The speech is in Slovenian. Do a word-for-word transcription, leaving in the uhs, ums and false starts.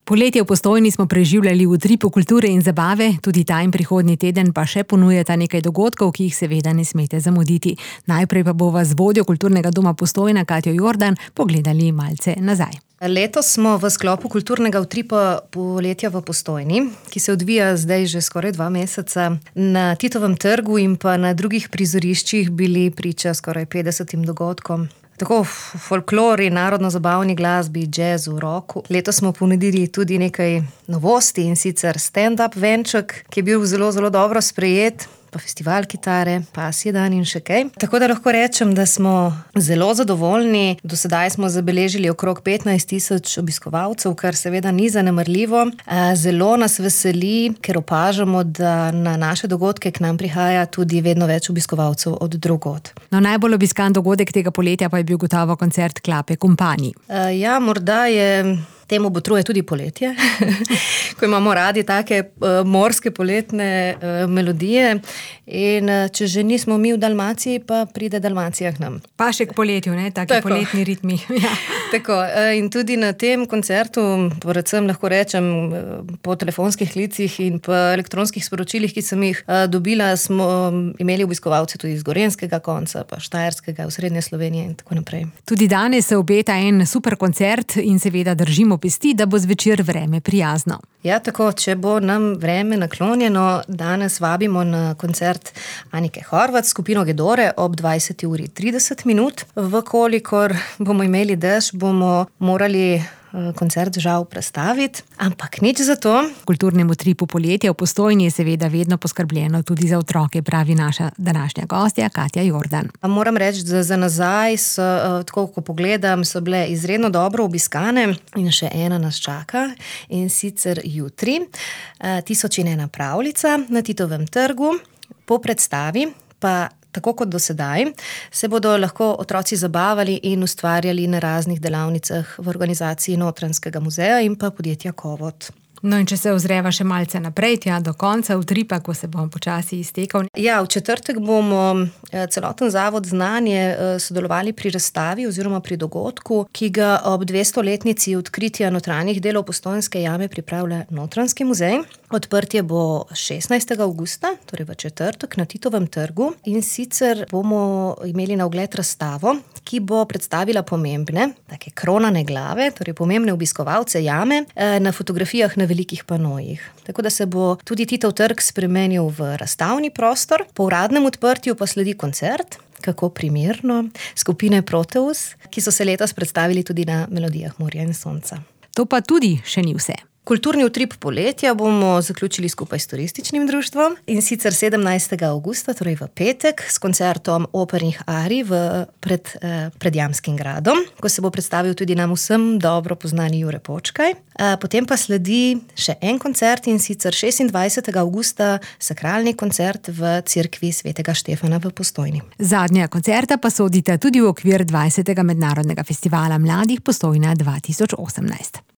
Poletje v Postojni smo preživljali v utripu kulture in zabave, tudi ta in prihodnji teden pa še ponujata nekaj dogodkov, ki jih seveda ne smete zamuditi. Najprej pa bova z vodjo Kulturnega doma Postojna, Katjo Jordan, pogledali malce nazaj. Letos smo v sklopu kulturnega utripa Poletja v Postojni, ki se odvija zdaj že skoraj dva meseca, na Titovem trgu in pa na drugih prizoriščih bili priča skoraj petdesetim dogodkom. Tako v folklori, narodno-zabavni glasbi, jazzu, rocku. Letos smo ponudili tudi nekaj novosti, in sicer stand-up venček, ki je bil zelo, zelo dobro sprejet, pa festival kitare, pasji dan in še kaj. Tako da lahko rečem, da smo zelo zadovoljni. Do sedaj smo zabeležili okrog petnajst tisoč obiskovalcev, kar seveda ni zanemarljivo. Zelo nas veseli, ker opažamo, da na naše dogodke k nam prihaja tudi vedno več obiskovalcev od drugod. No, najbolj obiskan dogodek tega poletja pa je bil gotovo koncert Klape Kompani. Ja, morda je... Temu botruje tudi poletje, ko imamo radi take uh, morske poletne uh, melodije. In uh, če že nismo mi v Dalmaciji, pa pride Dalmacija k nam. Pa še k poletju, ne? Taki Tako. Poletni ritmi. Ja. Tako, uh, in tudi na tem koncertu, predvsem lahko rečem, uh, po telefonskih klicih in po elektronskih sporočilih, ki sem jih uh, dobila, smo imeli obiskovalce tudi iz Gorenjskega konca, pa Štajerskega, v Srednje Slovenije in tako naprej. Tudi danes se obeta en super koncert in seveda držimo pesti, da bo zvečer vreme prijazno. Ja, tako, če bo nam vreme naklonjeno, danes vabimo na koncert Anike Horvat, skupino Gedore ob dvajseti uri trideset minut. Vkolikor bomo imeli dež, bomo morali koncert žal prestaviti, ampak nič za to. V kulturnem utripu Poletja v Postojni je seveda vedno poskrbljeno tudi za otroke, pravi naša današnja gostja Katja Jordan. Moram reči, da za nazaj, so, tako ko pogledam, so bile izredno dobro obiskane in še ena nas čaka, in sicer jutri. Tisoč in ena pravljica na Titovem trgu. Po predstavi pa tako kot do sedaj, se bodo lahko otroci zabavali in ustvarjali na raznih delavnicah v organizaciji Notranjskega muzeja in pa podjetja Kovot. No, in če se ozreva še malce naprej, tja do konca utripa, ko se bomo počasi iztekal. Ja, v četrtek bomo celoten Zavod Znanje sodelovali pri razstavi oziroma pri dogodku, ki ga ob dvestoletnici odkritja notranjih delov Postojnske jame pripravlja Notranjski muzej. Odprtje bo šestnajstega avgusta, torej v četrtek, na Titovem trgu, in sicer bomo imeli na ogled razstavo, ki bo predstavila pomembne, take kronane glave, torej pomembne obiskovalce jame, na fotografijah na velikih panojih. Tako da se bo tudi Titov trg spremenil v razstavni prostor. Po uradnem odprtju pa sledi koncert, kako primerno, skupine Proteus, ki so se letos predstavili tudi na Melodijah morja in sonca. To pa tudi še ni vse. Kulturni utrip Poletja bomo zaključili skupaj s turističnim društvom, in sicer sedemnajstega avgusta, torej v petek, s koncertom opernih arij v, pred, eh, pred Jamskim gradom, ko se bo predstavil tudi nam vsem dobro poznani Jure Počkaj. Eh, potem pa sledi še en koncert, in sicer šestindvajsetega avgusta sakralni koncert v cerkvi svetega Štefana v Postojni. Zadnja koncerta pa sodita tudi v okvir dvajsetega mednarodnega festivala mladih Postojna dva tisoč osemnajst.